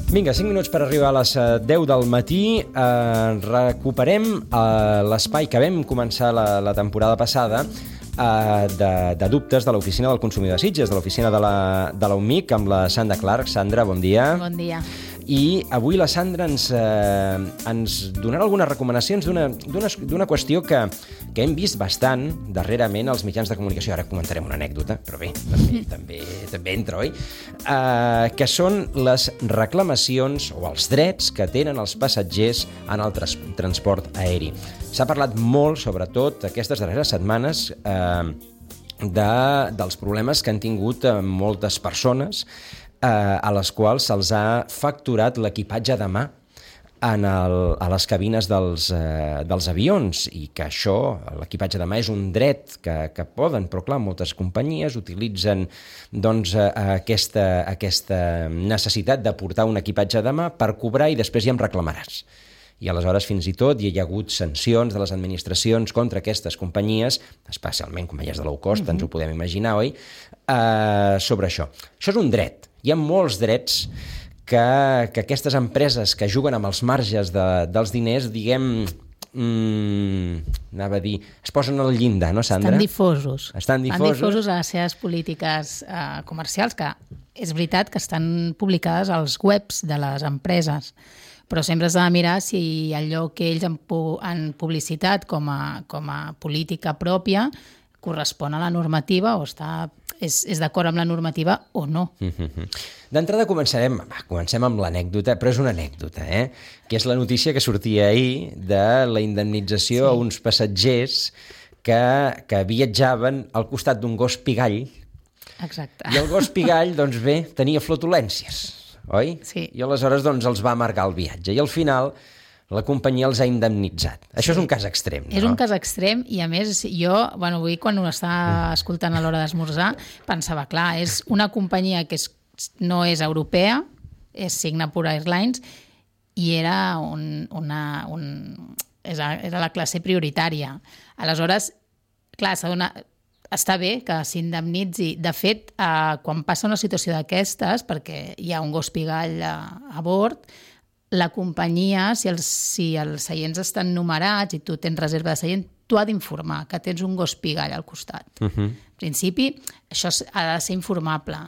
Vinga, 5 minuts per arribar a les 10 del matí. Recuperem l'espai que vam començar la temporada passada de dubtes de l'Oficina del Consumidor de Sitges, de l'oficina de la UMIC, amb la Sandra Clark. Sandra, bon dia. Bon dia. I avui la Sandra ens donarà algunes recomanacions d'una qüestió que hem vist bastant darrerament als mitjans de comunicació. Ara comentarem una anècdota, però bé, també entra, oi? Que són les reclamacions o els drets que tenen els passatgers en el transport aeri. S'ha parlat molt, sobretot aquestes darreres setmanes, dels problemes que han tingut moltes persones a les quals se'ls ha facturat l'equipatge de mà a les cabines dels avions, i que això, l'equipatge de mà, és un dret que poden, però clar, moltes companyies utilitzen doncs, aquesta necessitat de portar un equipatge de mà per cobrar i després ja em reclamaràs. I aleshores fins i tot hi ha hagut sancions de les administracions contra aquestes companyies, especialment companyies de low cost, ens ho podem imaginar, oi? Sobre això. Això és un dret. Hi ha molts drets que aquestes empreses que juguen amb els marges dels diners, diguem, anava a dir, es posen al llindar, no, Sandra? Estan difosos a les seves polítiques comercials, que és veritat que estan publicades als webs de les empreses, però sempre has de mirar si allò que ells han publicitat com a política pròpia correspon a la normativa o és d'acord amb la normativa o no. D'entrada comencem amb l'anècdota, però és una anècdota, que és la notícia que sortia ahir de la indemnització a uns passatgers que viatjaven al costat d'un gos pigall. Exacte. I el gos pigall, doncs bé, tenia flatulències, oi? Sí. I aleshores doncs, els va amargar el viatge. I al final la companyia els ha indemnitzat. Això és un cas extrem, no? És un cas extrem i, a més, jo, avui quan ho estava escoltant a l'hora d'esmorzar, pensava, clar, és una companyia que no és europea, és Singapore Airlines, i era era la classe prioritària. Aleshores, clar, està bé que s'indemnitzi. De fet, quan passa una situació d'aquestes, perquè hi ha un gos pigall a bord, la companyia, si els seients estan numerats i tu tens reserva de seient, tu ha d'informar que tens un gos pigall al costat. En principi, això ha de ser informable.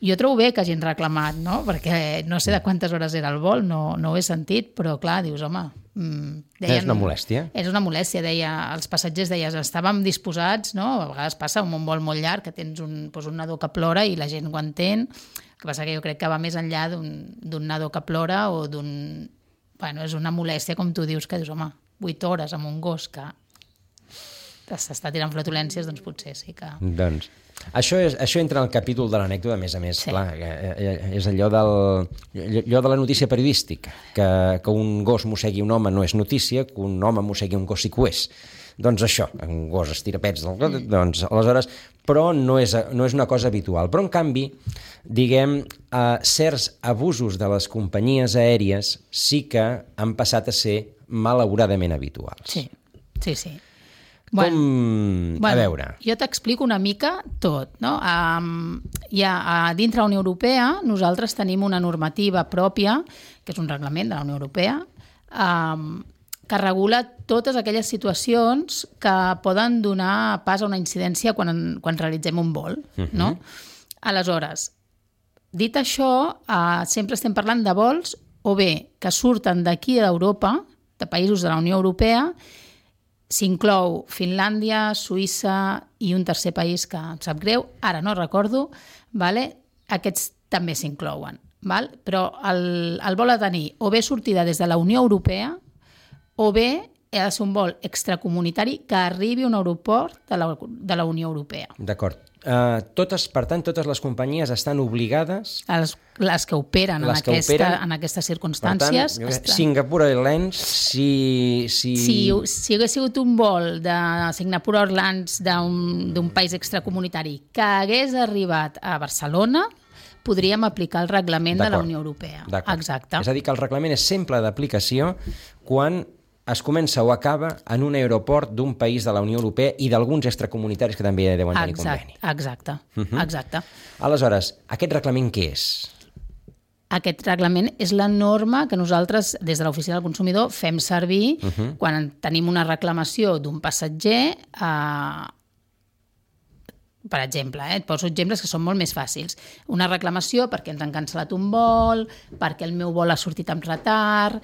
Jo trobo bé que hagin reclamat, no? Perquè no sé de quantes hores era el vol, no ho he sentit, però clar, dius, home... És una molèstia. És una molèstia, els passatgers deien, estàvem disposats, no? A vegades passa un vol molt llarg, que tens un nadó que plora i la gent ho entén. El que passa que jo crec que va més enllà d'un nadó que plora o d'un... Bueno, és una molèstia, com tu dius, que dius, home, 8 hores amb un gos que s'està tirant flatulències, doncs potser sí que... Doncs, això entra en el capítol de l'anècdota, a més, sí. Clar, és allò de la notícia periodística, que un gos mossegui un home no és notícia, que un home mossegui un gos sí que ho és. Doncs això, un gos estira pets del got, doncs aleshores, però no és una cosa habitual. Però en canvi, diguem, certs abusos de les companyies aèries sí que han passat a ser malauradament habituals. Sí. A veure... Jo t'explico una mica tot, no? Dintre la Unió Europea nosaltres tenim una normativa pròpia, que és un reglament de la Unió Europea, que regula totes aquelles situacions que poden donar pas a una incidència quan realitzem un vol, no? Aleshores, dit això, sempre estem parlant de vols o bé que surten d'aquí d'Europa, de països de la Unió Europea. S'inclou Finlàndia, Suïssa i un tercer país que em sap greu, ara no recordo, aquests també s'inclouen. Però el vol ha de tenir o bé sortida des de la Unió Europea o bé ha de ser un vol extracomunitari que arribi a un aeroport de la Unió Europea. D'acord. Per tant, totes les companyies estan obligades... Les que operen en aquestes circumstàncies... Per tant, Singapore Airlines, si hagués sigut un vol de Singapore Airlines d'un país extracomunitari que hagués arribat a Barcelona, podríem aplicar el reglament de la Unió Europea. Exacte. És a dir, que el reglament és sempre d'aplicació quan es comença o acaba en un aeroport d'un país de la Unió Europea i d'alguns extracomunitaris que també deuen tenir conveni. Exacte. Aleshores, aquest reglament què és? Aquest reglament és la norma que nosaltres, des de l'Oficina del Consumidor, fem servir quan tenim una reclamació d'un passatger. Per exemple, et poso exemples que són molt més fàcils. Una reclamació perquè ens han cancel·lat un vol, perquè el meu vol ha sortit amb retard,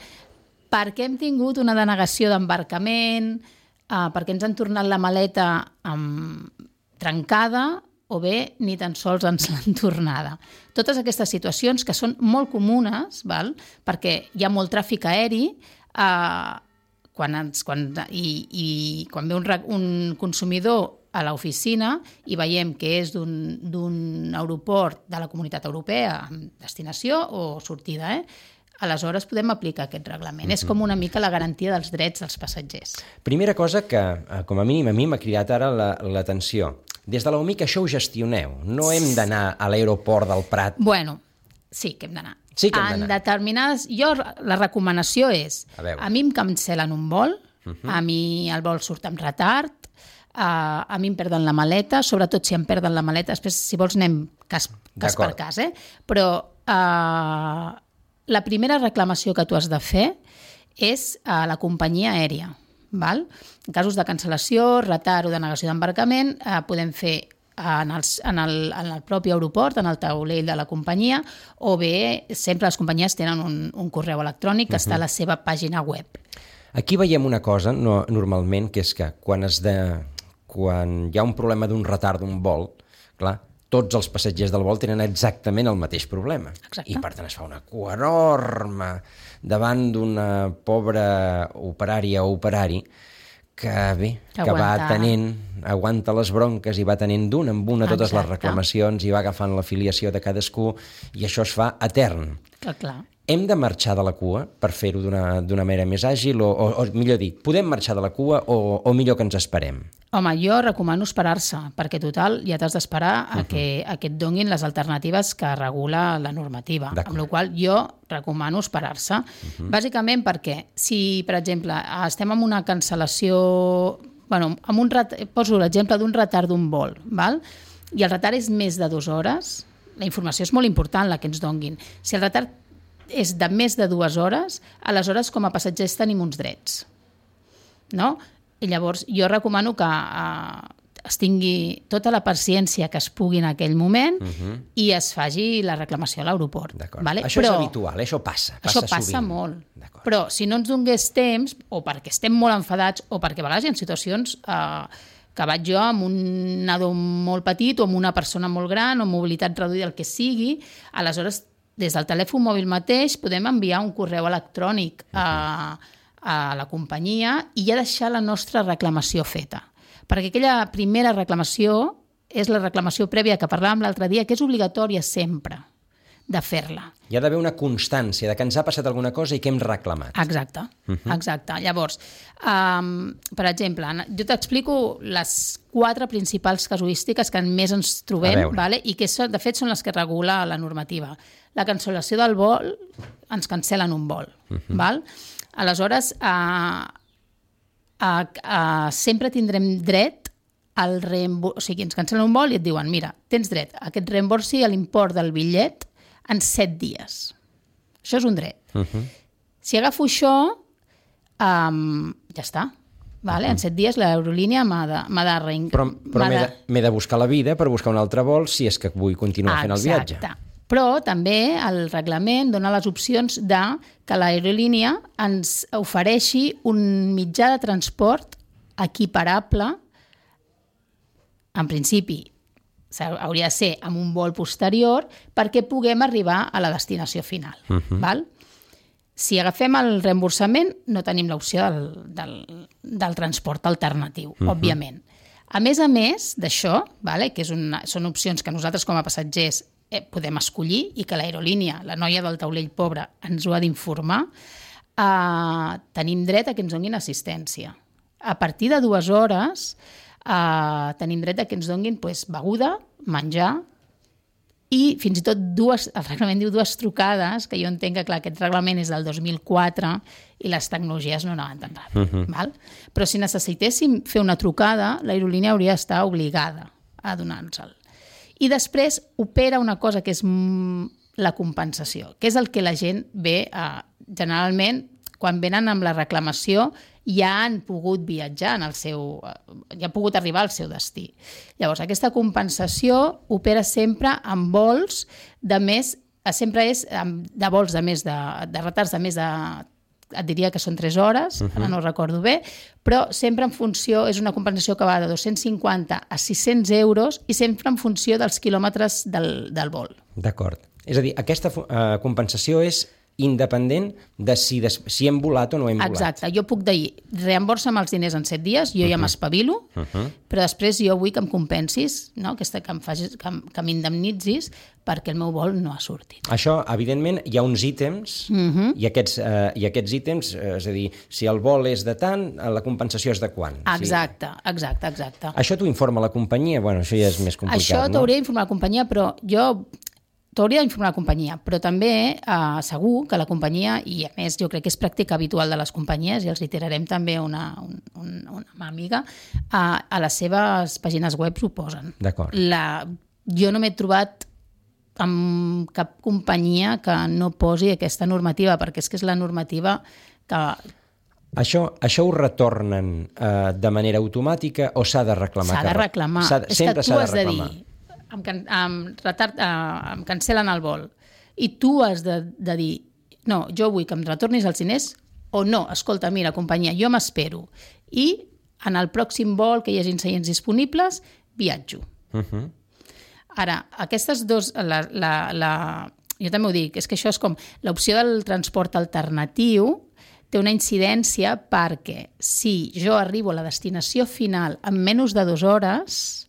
perquè hem tingut una denegació d'embarcament, perquè ens han tornat la maleta trencada, o bé ni tan sols ens l'han tornada. Totes aquestes situacions que són molt comunes, val? Perquè hi ha molt tràfic aeri, quan ve un consumidor a l'oficina i veiem que és d'un aeroport de la Comunitat Europea amb destinació o sortida, aleshores podem aplicar aquest reglament. És com una mica la garantia dels drets dels passatgers. Primera cosa que, com a mínim, a mi m'ha cridat ara l'atenció. Des de l'UMIC això ho gestioneu. No hem d'anar a l'aeroport del Prat. Bueno, sí que hem d'anar. Sí que hem d'anar. En determinades... La recomanació és... A mi em cancel·len un vol, a mi el vol surt amb retard, a mi em perden la maleta, sobretot si em perden la maleta, després, si vols, anem cas per cas, però la primera reclamació que tu has de fer és a la companyia aèria. Val? En casos de cancel·lació, retard o denegació d'embarcament, podem fer en el propi aeroport, en el taulell de la companyia, o bé sempre les companyies tenen un correu electrònic que està a la seva pàgina web. Aquí veiem una cosa, normalment, que és que quan hi ha un problema d'un retard d'un vol, clar, tots els passatgers del vol tenen exactament el mateix problema. Exacte. I per tant es fa una cua enorme davant d'una pobra operària o operari que aguanta les bronques i va tenint d'una en una totes les reclamacions i va agafant l'afiliació de cadascú i això es fa etern. Clar. Hem de marxar de la cua per fer-ho d'una manera més àgil o millor dit, podem marxar de la cua o millor que ens esperem? Home, jo recomano esperar-se, perquè total ja t'has d'esperar a que et donin les alternatives que regula la normativa. Amb la qual jo recomano esperar-se. Bàsicament perquè si, per exemple, estem en una cancel·lació... Poso l'exemple d'un retard d'un vol, val? I el retard és més de 2 hores, la informació és molt important la que ens donguin. Si el retard és de més de 2 hores, aleshores com a passatgers tenim uns drets. No? I llavors jo recomano que es tingui tota la paciència que es pugui en aquell moment i es faci la reclamació a l'aeroport. Vale? Això és habitual, això passa passa sovint. Molt. Però si no ens donés temps, o perquè estem molt enfadats, o perquè a vegades hi ha situacions que vaig jo amb un nadó molt petit o amb una persona molt gran o amb mobilitat reduïda, el que sigui, aleshores des del telèfon mòbil mateix podem enviar un correu electrònic a la companyia i ja deixar la nostra reclamació feta. Perquè aquella primera reclamació és la reclamació prèvia que parlàvem l'altre dia, que és obligatòria sempre de fer-la. Hi ha d'haver una constància de que ens ha passat alguna cosa i que hem reclamat. Exacte. Llavors, per exemple, jo t'explico les 4 principals casuístiques que més ens trobem, vale? I que de fet són les que regula la normativa. La cancel·lació del vol, ens cancel·len un vol. Val? Aleshores, sempre tindrem dret al reemburs... O sigui, ens cancel·len un vol i et diuen, mira, tens dret a que et reemborsi l'import del bitllet en 7 dies. Això és un dret. Si agafo això, ja està. Vale? En 7 dies l'aerolínia m'ha de Però m'he de buscar la vida per buscar un altre vol si és que vull continuar fent el viatge. Exacte. Però també el reglament dona les opcions de que l'aerolínia ens ofereixi un mitjà de transport equiparable, en principi, hauria de ser amb un vol posterior perquè puguem arribar a la destinació final. Val? Si agafem el reemborsament, no tenim l'opció del transport alternatiu, òbviament. A més d'això, vale, que són opcions que nosaltres com a passatgers podem escollir i que l'aerolínia, la noia del taulell pobre, ens ho ha d'informar, tenim dret a que ens donin assistència. A partir de 2 hores tenim dret a que ens donin beguda, menjar i fins i tot el reglament diu 2 trucades, que jo entenc que clar, aquest reglament és del 2004 i les tecnologies no anaven tan ràpid. Val? Però si necessitéssim fer una trucada, l'aerolínia hauria d'estar obligada a donar-nos-el. I després opera una cosa que és la compensació, que és el que la gent ve generalment, quan venen amb la reclamació, ja han pogut viatjar ja han pogut arribar al seu destí. Llavors, aquesta compensació opera sempre amb vols de més, sempre és de vols de més de retards de més de, et diria que són 3 hores, ara no recordo bé, però sempre en funció, és una compensació que va de 250 a 600 euros i sempre en funció dels quilòmetres del vol. D'acord. És a dir, aquesta compensació és independent de si hem volat o no hem volat. Exacte. Jo puc dir, reemborsa'm els diners en 7 dies, jo ja m'espavilo, però després jo vull que em compensis, no? Que m'indemnitzis perquè el meu vol no ha sortit. Això, evidentment, hi ha uns ítems i aquests ítems, és a dir, si el vol és de tant, la compensació és de quant. Exacte. Això t'ho informa la companyia? Bueno, això ja és més complicat, no? Això t'hauria d'informar la companyia, però t'hauria d'informar la companyia, però també segur que la companyia, i a més jo crec que és pràctica habitual de les companyies, i els tirarem també una mà amiga, a les seves pàgines web ho posen. D'acord. Jo no m'he trobat amb cap companyia que no posi aquesta normativa, perquè és que és la normativa que... Això ho retornen de manera automàtica o s'ha de reclamar? S'ha de reclamar. Sempre s'ha de reclamar. Em cancel·len el vol i tu has de dir no, jo vull que em retornis els diners o no, escolta, mira, companyia, jo m'espero i en el pròxim vol que hi hagi seients disponibles, viatjo. Ara, aquestes dos jo també ho dic, és que això és com l'opció del transport alternatiu té una incidència perquè si jo arribo a la destinació final en menys de 2 hores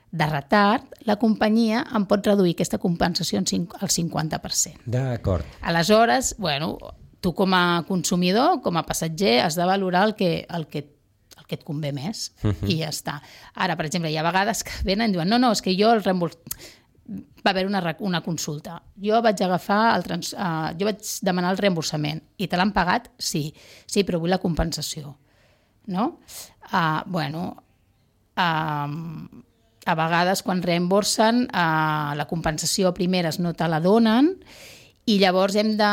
de retard, la companyia em pot reduir aquesta compensació al 50%. D'acord. Aleshores, bueno, tu com a consumidor, com a passatger, has de valorar el que et convé més i ja està. Ara, per exemple, hi ha vegades que venen i diuen no, és que jo el reemburs... Va haver una consulta. Jo vaig jo vaig demanar el reemborsament i te l'han pagat? Sí, però vull la compensació. No? A vegades, quan reemborsen, la compensació primeres no te la donen i llavors hem de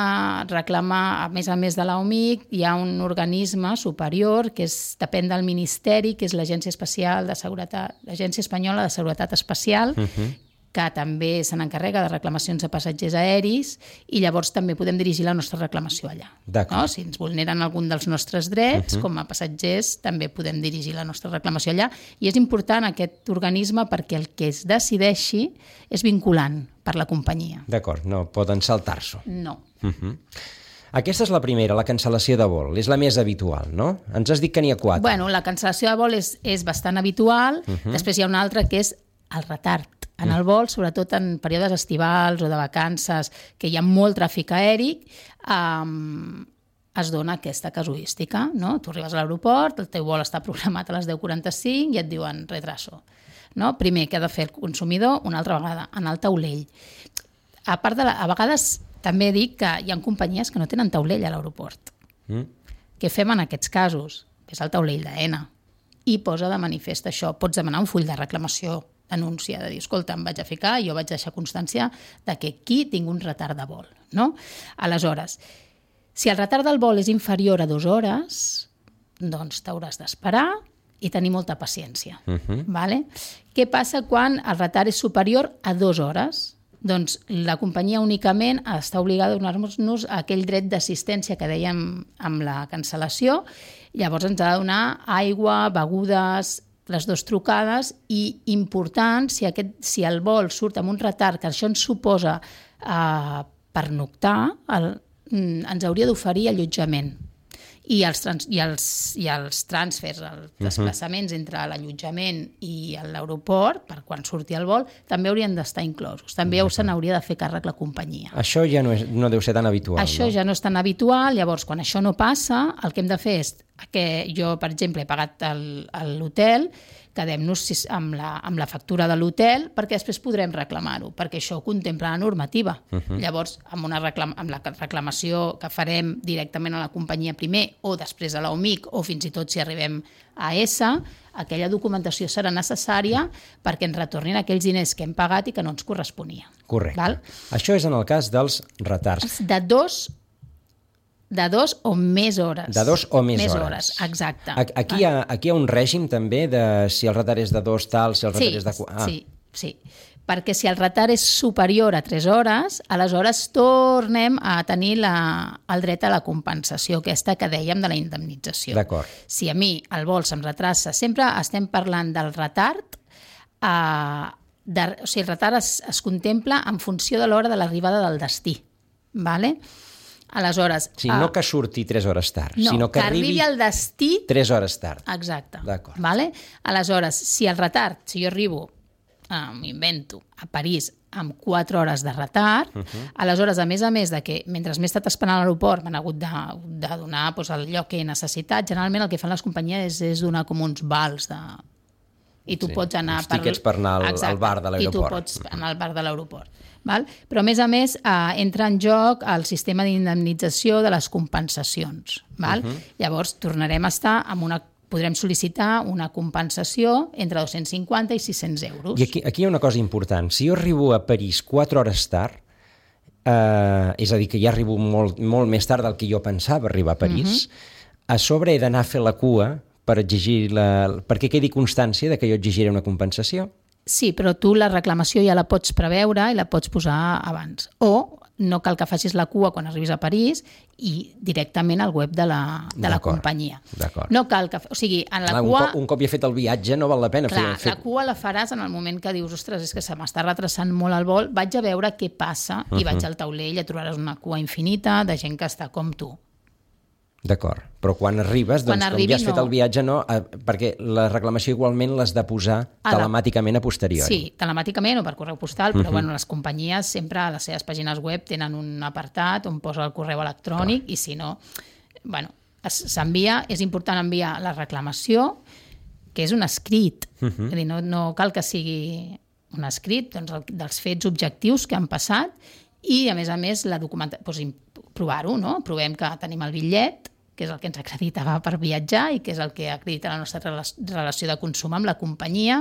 reclamar, a més de l'OMIC, hi ha un organisme superior que depèn del Ministeri, que és l'Agència Espanyola de Seguretat Espacial, que també se n'encarrega de reclamacions a passatgers aeris i llavors també podem dirigir la nostra reclamació allà. No? Si ens vulneren algun dels nostres drets, com a passatgers, també podem dirigir la nostra reclamació allà. I és important aquest organisme perquè el que es decideixi és vinculant per la companyia. D'acord, no poden saltar-s'ho. No. Aquesta és la primera, la cancel·lació de vol. És la més habitual, no? Ens has dit que n'hi ha 4. Bueno, la cancel·lació de vol és bastant habitual. Després hi ha una altra que és el retard en el vol, sobretot en períodes estivals o de vacances, que hi ha molt tràfic aeri, es dona aquesta casuística. No? Tu arribes a l'aeroport, el teu vol està programat a les 10:45 i et diuen retraso. No? Primer, què ha de fer el consumidor? Una altra vegada, anar al taulell. A vegades també dic que hi ha companyies que no tenen taulell a l'aeroport. Què fem en aquests casos? Ves al taulell d'AENA i posa de manifest això. Pots demanar un full de reclamació, denúncia, de dir, escolta, em vaig a ficar, jo vaig deixar constància de que aquí tinc un retard de vol. No? Aleshores, si el retard del vol és inferior a 2 hores, doncs t'hauràs d'esperar i tenir molta paciència. Vale? Què passa quan el retard és superior a 2 hores? Doncs la companyia únicament està obligada a donar-nos aquell dret d'assistència que dèiem amb la cancel·lació. Llavors ens ha de donar aigua, begudes, les 2 trucades i important, si el vol surt amb un retard, que això ens suposa pernoctar, ens hauria d'oferir allotjament. I els trànsfers, els desplaçaments entre l'allotjament i l'aeroport, per quan surti el vol, també haurien d'estar inclosos. També se n'hauria de fer càrrec la companyia. Això ja no deu ser tan habitual. Això ja no és tan habitual, llavors quan això no passa, el que hem de fer és que jo, per exemple, he pagat l'hotel, quedem-nos amb la factura de l'hotel perquè després podrem reclamar-ho, perquè això ho contempla la normativa. Llavors, amb la reclamació que farem directament a la companyia primer o després a l'OMIC o fins i tot si arribem a ESA, aquella documentació serà necessària perquè ens retornin aquells diners que hem pagat i que no ens corresponia. Correcte. Val? Això és en el cas dels retards. De dos o més hores. De 2 o més hores. Exacte. Aquí hi ha un règim també de si el retard és de 2 tal, si el retard és de 4... Sí. Perquè si el retard és superior a 3 hores, aleshores tornem a tenir el dret a la compensació, aquesta que dèiem de la indemnització. D'acord. Si a mi el vol se'm retrassa, sempre estem parlant del retard, o sigui, el retard es contempla en funció de l'hora de l'arribada del destí. Vale? Aleshores... Sí, no que surti 3 hores tard, no, sinó que arribi al destí 3 hores tard. Exacte. D'acord. Vale? Aleshores, si el retard, si jo arribo, m'invento, a París amb 4 hores de retard, aleshores, a més de que mentre m'he estat esperant a l'aeroport m'han hagut de donar el lloc que he necessitat, generalment el que fan les companyies és donar com uns vals i tu pots anar... Uns tíquets per anar al bar de l'aeroport. I tu pots anar al bar de l'aeroport. Val? Però, a més, entra en joc el sistema d'indemnització de les compensacions. Val? Llavors, tornarem a estar amb podrem sol·licitar una compensació entre 250 i 600 euros. I aquí hi ha una cosa important. Si jo arribo a París 4 hores tard, és a dir, que ja arribo molt, molt més tard del que jo pensava arribar a París, a sobre he d'anar a fer la cua per exigir perquè quedi constància de que jo exigiré una compensació. Sí, però tu la reclamació ja la pots preveure i la pots posar abans. O no cal que facis la cua quan arribis a París i directament al web de la companyia. D'acord. No cal que... O sigui, en la cua... Un cop ja he fet el viatge no val la pena fer... La cua la faràs en el moment que dius ostres, és que se m'està retrasant molt el vol, vaig a veure què passa i vaig al taulell i trobaràs una cua infinita de gent que està com tu. D'acord, però quan arribes, com ja has fet el viatge, no, perquè la reclamació igualment l'has de posar telemàticament a posteriori. Sí, telemàticament o per correu postal, però les companyies sempre a les seves pàgines web tenen un apartat on posa el correu electrònic i si no, s'envia, és important enviar la reclamació, que és un escrit, és a dir, no cal que sigui un escrit dels fets objectius que han passat i, a més, la documentació, provar-ho, no? Provem que tenim el bitllet, que és el que ens acreditava per viatjar i que és el que acredita la nostra relació de consum amb la companyia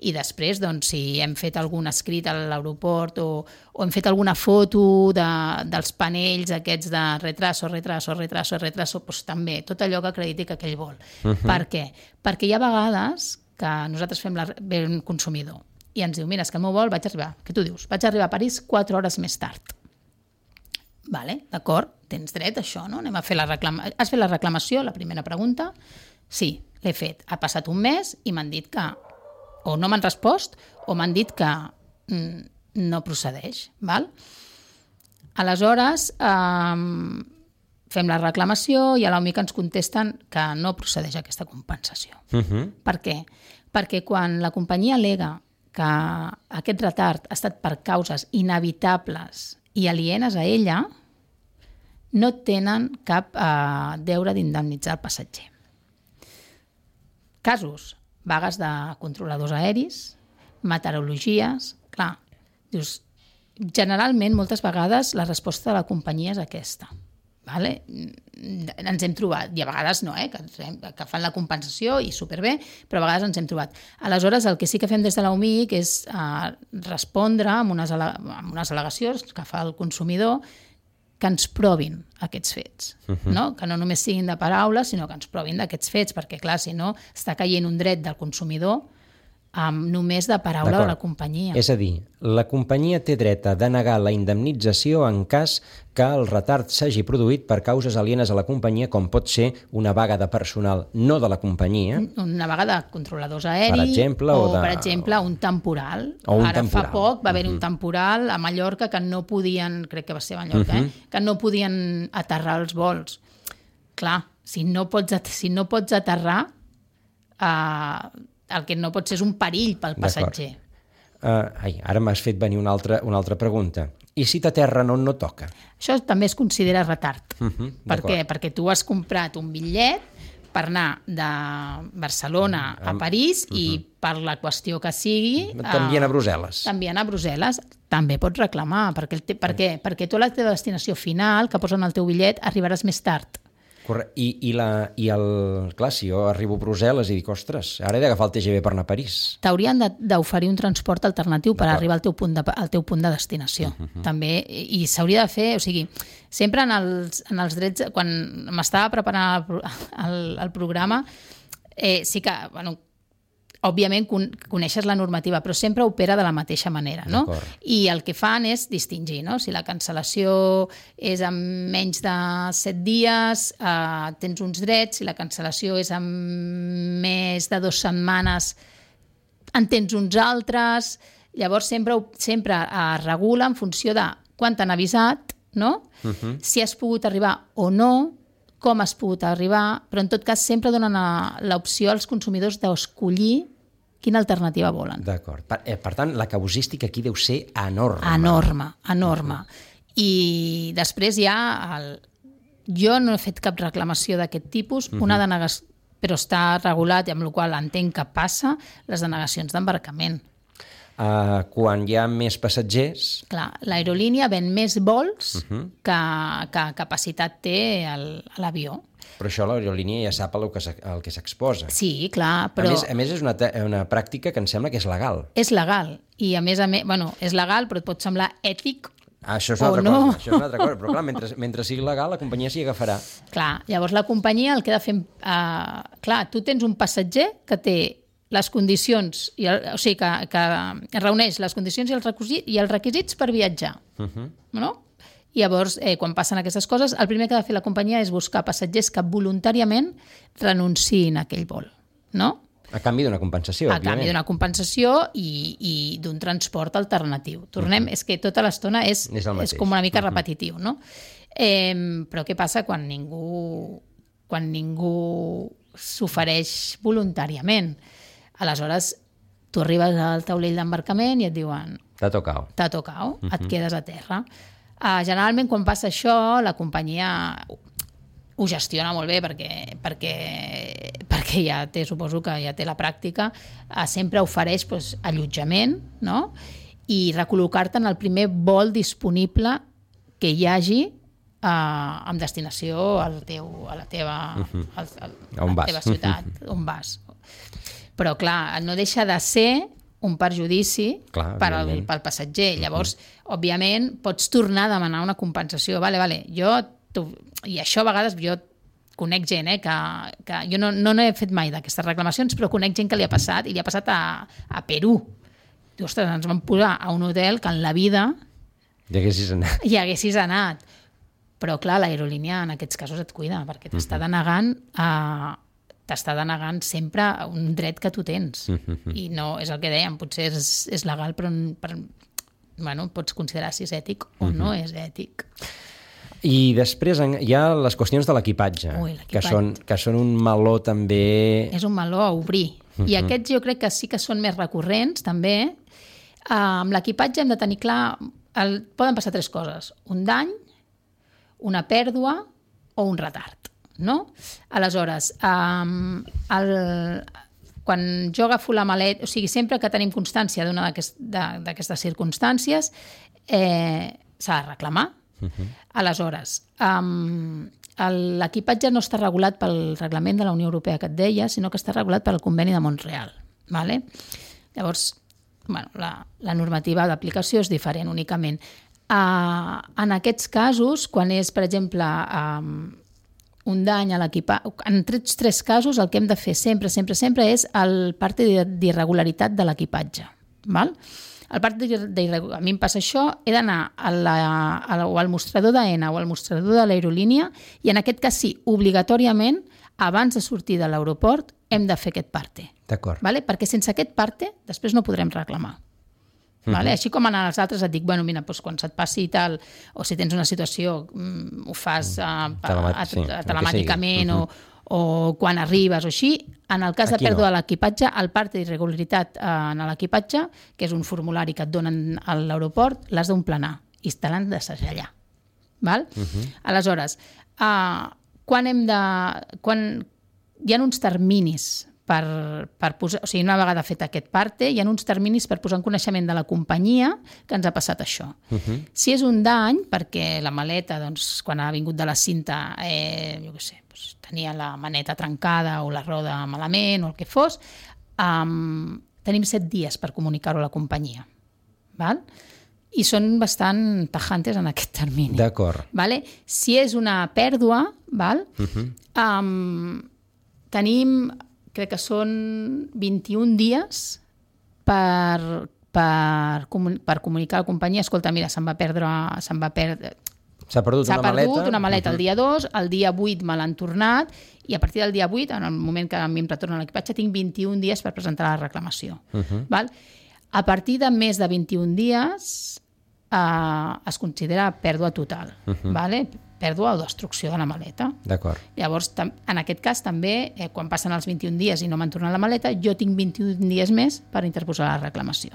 i després, si hem fet algun escrit a l'aeroport o hem fet alguna foto dels panells aquests de retraso, doncs també, tot allò que acrediti que aquell vol. Per què? Perquè hi ha vegades que nosaltres ve un consumidor i ens diu, mira, és que el meu vol què tu dius? Vaig arribar a París 4 hores més tard. Vale, d'acord, tens dret a això, no? Anem a fer Has fet la reclamació, la primera pregunta? Sí, l'he fet. Ha passat un mes i m'han dit que o no m'han respost o m'han dit que no procedeix. Val? Aleshores, fem la reclamació i a l'OMIC ens contesten que no procedeix aquesta compensació. Per què? Perquè quan la companyia al·lega que aquest retard ha estat per causes inevitables i alienes a ella, no tenen cap deure d'indemnitzar el passatger. Casos, vagues de controladors aeris, meteorologies... Clar, dius, generalment, moltes vegades, la resposta de la companyia és aquesta. Vale? Ens hem trobat, i a vegades no, que fan la compensació i superbé, però a vegades ens hem trobat. Aleshores, el que sí que fem des de l'OMIC és respondre amb unes al·legacions que fa el consumidor que ens provin aquests fets, no? Que no només siguin de paraules, sinó que ens provin d'aquests fets, perquè clar, si no, està caient un dret del consumidor només de paraula de la companyia. És a dir, la companyia té dret a denegar la indemnització en cas que el retard s'hagi produït per causes alienes a la companyia, com pot ser una vaga de personal no de la companyia. Una vaga de controladors aeris, per exemple, per exemple, un temporal. Fa poc va haver-hi un temporal a Mallorca que no podien, crec que va ser a Mallorca, que no podien aterrar els vols. Clar, si no pots aterrar, el que no pot ser és un perill pel passatger. Ara m'has fet venir una altra pregunta. I si t'aterren on no toca? Això també es considera retard. Per què? Perquè tu has comprat un bitllet per anar de Barcelona a París i per la qüestió que sigui... T'envien a Brussel·les. T'envien a Brussel·les. També pots reclamar. Per què? Perquè tu a la teva destinació final, que posen al teu bitllet, arribaràs més tard. Clar, si jo arribo a Brussel·les i dic, ostres, ara he d'agafar el TGV per anar a París. T'haurien d'oferir un transport alternatiu per arribar al teu punt de destinació. També, i s'hauria de fer, o sigui, sempre en els drets, quan m'estava preparant el programa, sí que, bueno, òbviament coneixes la normativa, però sempre opera de la mateixa manera, no? I el que fan és distingir, no? Si la cancel·lació és en menys de 7 dies, tens uns drets, si la cancel·lació és en més de 2 setmanes, en tens uns altres. Llavors sempre es regula en funció de quan t'han avisat, no? Si has pogut arribar o no, com has pogut arribar, però en tot cas sempre donen l'opció als consumidors d'escollir quina alternativa volen. D'acord. Per tant, la casuística aquí deu ser enorme. Enorme. I després hi ha... Jo no he fet cap reclamació d'aquest tipus, una denegació, però està regulat i amb la qual entenc que passa les denegacions d'embarcament. Quan hi ha més passatgers... Clar, l'aerolínia ven més vols que capacitat té l'avió. Però això l'aerolínia ja sap el que s'exposa. Sí, clar, però... A més és una pràctica que em sembla que és legal. És legal, i a més, bueno, és legal, però et pot semblar ètic això és una altra cosa, però clar, mentre sigui legal, la companyia s'hi agafarà. Clar, llavors la companyia el que ha de fer... Clar, tu tens un passatger que té les condicions, o sigui, que reuneix les condicions i els requisits per viatjar. No? I llavors, quan passen aquestes coses, el primer que ha de fer la companyia és buscar passatgers que voluntàriament renunciïn a aquell vol. No? A canvi d'una compensació, òbviament. A canvi d'una compensació i d'un transport alternatiu. Tornem, és que tota l'estona és com una mica repetitiu, no? Però què passa quan ningú s'ofereix voluntàriament? Aleshores, tu arribes al taulell d'embarcament i et diuen... T'ha tocao, et quedes a terra. Generalment, quan passa això, la companyia ho gestiona molt bé perquè ja té, suposo que ja té la pràctica, sempre ofereix allotjament, no? I recol·locar-te en el primer vol disponible que hi hagi amb destinació a la teva ciutat, on vas. Però, clar, no deixa de ser un perjudici pel passatger. Llavors, òbviament, pots tornar a demanar una compensació. I això a vegades jo conec gent, que jo no he fet mai d'aquestes reclamacions, però conec gent que li ha passat, i li ha passat a Perú. Ostres, ens vam posar a un hotel que en la vida hi haguessis anat. Però, clar, l'aerolínia en aquests casos et cuida, perquè t'està denegant sempre un dret que tu tens. I no, és el que dèiem, potser és legal, però pots considerar si és ètic o no és ètic. I després hi ha les qüestions de l'equipatge, que són un meló també... És un meló a obrir. I aquests jo crec que sí que són més recurrents, també. Amb l'equipatge hem de tenir clar... Poden passar 3 coses. Un dany, una pèrdua o un retard. No? Aleshores, quan jo agafo la maleta, o sigui, sempre que tenim constància d'una d'aquestes circumstàncies, s'ha de reclamar. Aleshores, l'equipatge no està regulat pel reglament de la Unió Europea que et deia, sinó que està regulat pel conveni de Montreal. Vale? Llavors, la normativa d'aplicació és diferent únicament. En aquests casos, quan és, per exemple, un dany a l'equipatge... En 3 casos el que hem de fer sempre és el part d'irregularitat de l'equipatge. El part d'irregularitat... A mi em passa això, he d'anar al mostrador d'AENA o al mostrador de l'aerolínia i en aquest cas sí, obligatòriament, abans de sortir de l'aeroport, hem de fer aquest parte. D'acord. Perquè sense aquest parte després no podrem reclamar. Així com en els altres et dic, mira, quan se't passi i tal, o si tens una situació, ho fas telemàticament o quan arribes o així, en el cas de pèrdua de l'equipatge, el part d'irregularitat en l'equipatge, que és un formulari que et donen a l'aeroport, l'has d'omplenar i te l'han de segellar. Aleshores, quan hi ha uns terminis per posar, o sigui, una vegada fet aquest parte, hi ha uns terminis per posar en coneixement de la companyia que ens ha passat això. Si és un dany, perquè la maleta, doncs, quan ha vingut de la cinta, jo què sé, doncs, tenia la maneta trencada o la roda malament o el que fos, tenim 7 dies per comunicar-ho a la companyia. Val? I són bastant tajantes en aquest termini. D'acord. Vale? Si és una pèrdua, val? Tenim, crec que són 21 dies per comunicar a la companyia, escolta, mira, s'ha perdut una maleta el dia 2, el dia 8 me l'han tornat i a partir del dia 8, en el moment que a mi em retorna l'equipatge, tinc 21 dies per presentar la reclamació. Val? A partir de més de 21 dies es considera pèrdua total, vale? Pèrdua o destrucció de la maleta. D'acord. Llavors, en aquest cas també, quan passen els 21 dies i no m'han tornat la maleta, jo tinc 21 dies més per interposar la reclamació.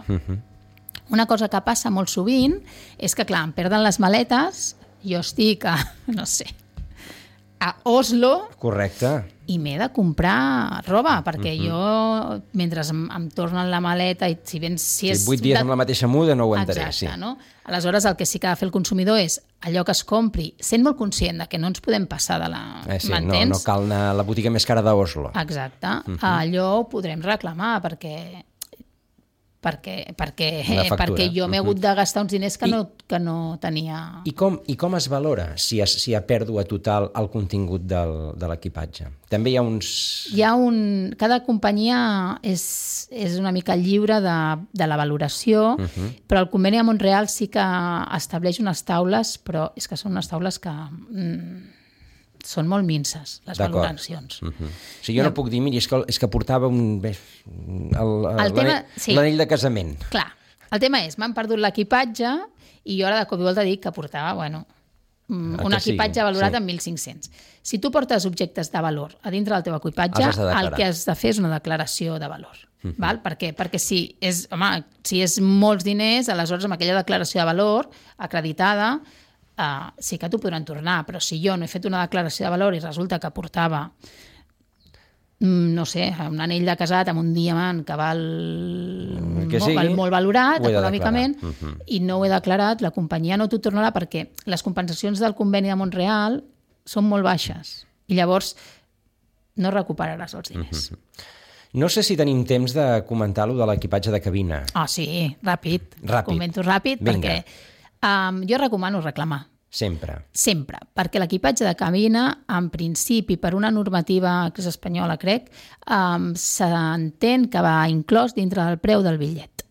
Una cosa que passa molt sovint és que, clar, em perden les maletes, jo estic no sé, a Oslo. Correcte. I m'he de comprar roba, perquè jo, mentre em tornen la maleta, i si ben... Si 8 dies amb la mateixa muda no ho aguantaré. Exacte, sí. No? Aleshores, el que sí que ha de fer el consumidor és allò que es compri, sent molt conscient de que no ens podem passar de la... Sí, no cal anar a la botiga més cara d'Oslo. Exacte. Allò ho podrem reclamar, perquè jo m'he hagut de gastar uns diners que no tenia... I com es valora si hi ha pèrdua total al contingut de l'equipatge? També hi ha uns... Cada companyia és una mica lliure de la valoració, però el conveni de Montreal sí que estableix unes taules, però és que són unes taules que... són molt minces, les valoracions. O sigui, jo no puc dir, miri, és que portava l'anell de casament. Clar, el tema és, m'han perdut l'equipatge i jo ara de cop i volta dic que portava, un equipatge valorat en 1.500. Si tu portes objectes de valor a dintre del teu equipatge, el que has de fer és una declaració de valor. Val? Per què? Perquè si és molts diners, aleshores amb aquella declaració de valor acreditada, sí que t'ho podran tornar, però si jo no he fet una declaració de valor i resulta que portava no sé, un anell de casat amb un diamant que val molt valorat econòmicament i no ho he declarat, la companyia no t'ho tornarà perquè les compensacions del conveni de Montreal són molt baixes i llavors no recuperaràs els diners. No sé si tenim temps de comentar-lo de l'equipatge de cabina. Sí, ràpid. Comento ràpid. Vinga. Perquè jo recomano reclamar. Sempre, perquè l'equipatge de cabina, en principi, per una normativa que és espanyola, crec, s'entén que va inclòs dintre del preu del bitllet.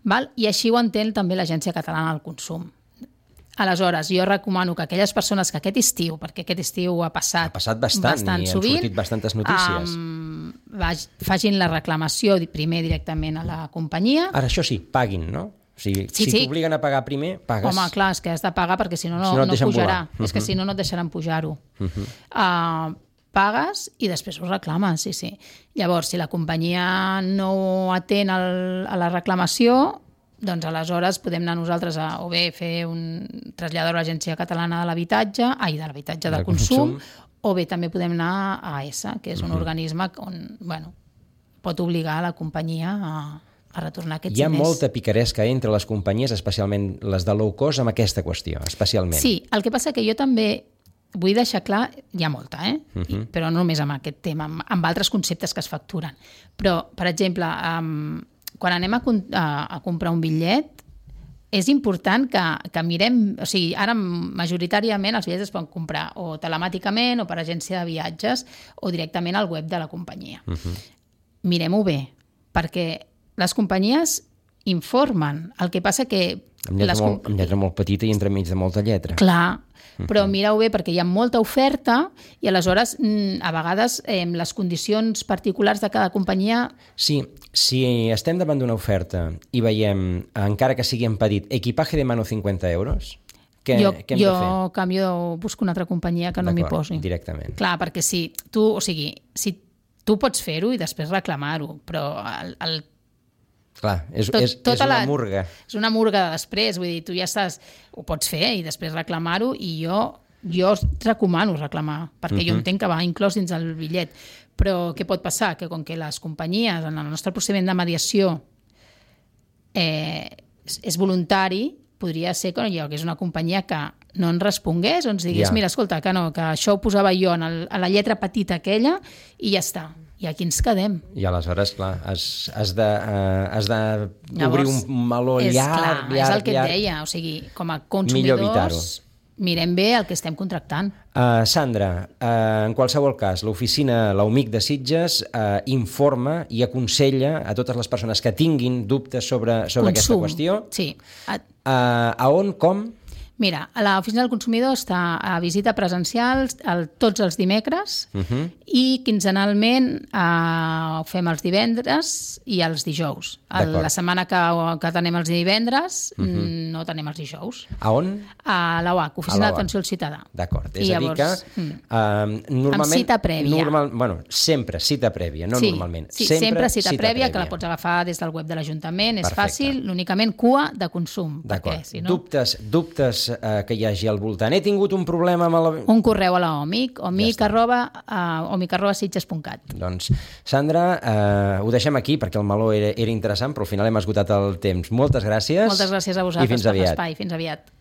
Val? I així ho entén també l'Agència Catalana del Consum. Aleshores, jo recomano que aquelles persones que aquest estiu, perquè aquest estiu ha passat bastant sovint, han sortit bastantes notícies, facin la reclamació primer directament a la companyia. Ara, això sí, paguin, no? Si t'obliguen a pagar primer, pagues. Home, clar, és que has de pagar perquè si no pujarà. És que si no et deixaran pujar-ho. Pagues i després ho reclames, sí. Llavors, si la companyia no atén a la reclamació, doncs aleshores podem anar nosaltres o bé fer traslladar a l'Agència Catalana de l'Habitatge, de l'Habitatge del Consum, o bé també podem anar a AESA, que és un organisme on pot obligar a la companyia a retornar aquests diners. Hi ha molta picaresca entre les companyies, especialment les de low cost, amb aquesta qüestió, especialment. Sí, el que passa que jo també vull deixar clar, hi ha molta, però no només amb aquest tema, amb altres conceptes que es facturen. Però, per exemple, quan anem a comprar un bitllet, és important que mirem... O sigui, ara majoritàriament els bitllets es poden comprar o telemàticament o per agència de viatges o directament al web de la companyia. Mirem-ho bé, perquè les companyies informen. El que passa que... Amb lletra molt petita i entremig de molta lletra. Clar, però mireu bé perquè hi ha molta oferta i aleshores a vegades les condicions particulars de cada companyia... Sí, si estem davant d'una oferta i veiem, encara que sigui en petit, equipaje de mano 50 euros, què hem de fer? Jo busco una altra companyia que no m'hi posi. Directament. Clar, perquè si tu pots fer-ho i després reclamar-ho, però clar, és una murga. És una murga de després, vull dir, tu ja ho pots fer i després reclamar-ho i jo jo recomano reclamar, perquè jo entenc que va inclòs dins el bitllet. Però què pot passar? Que com que les companyies, en el nostre procediment de mediació, és voluntari, podria ser que hi hagués una companyia que no ens respongués o ens digués, mira, escolta, que no, que això ho posava jo a la lletra petita aquella i ja està. I aquí ens quedem. I aleshores, clar, has d'obrir un meló llarg, és el que et deia, o sigui, com a consumidors mirem bé el que estem contractant. Sandra, en qualsevol cas, l'oficina l'UMIC de Sitges informa i aconsella a totes les persones que tinguin dubtes sobre aquesta qüestió. Sí. A on, com? Mira, l'oficina del consumidor està a visita presencial tots els dimecres i quinzenalment ho fem els divendres i els dijous. La setmana que tenem els divendres no tenem els dijous. A on? A l'OAC, Oficina d'Atenció al Ciutadà. D'acord, és a dir que normalment... Amb cita prèvia. Bueno, sempre cita prèvia, no normalment. Sí, sempre cita prèvia, que la pots agafar des del web de l'Ajuntament, és fàcil, únicament cua de consum. D'acord, dubtes que hi hagi al voltant. He tingut un problema amb un correu a la OMIC, omic@sitges.cat. Doncs, Sandra, ho deixem aquí perquè el meló era interessant, però al final hem esgotat el temps. Moltes gràcies. Moltes gràcies a vosaltres per l'espai. Fins aviat.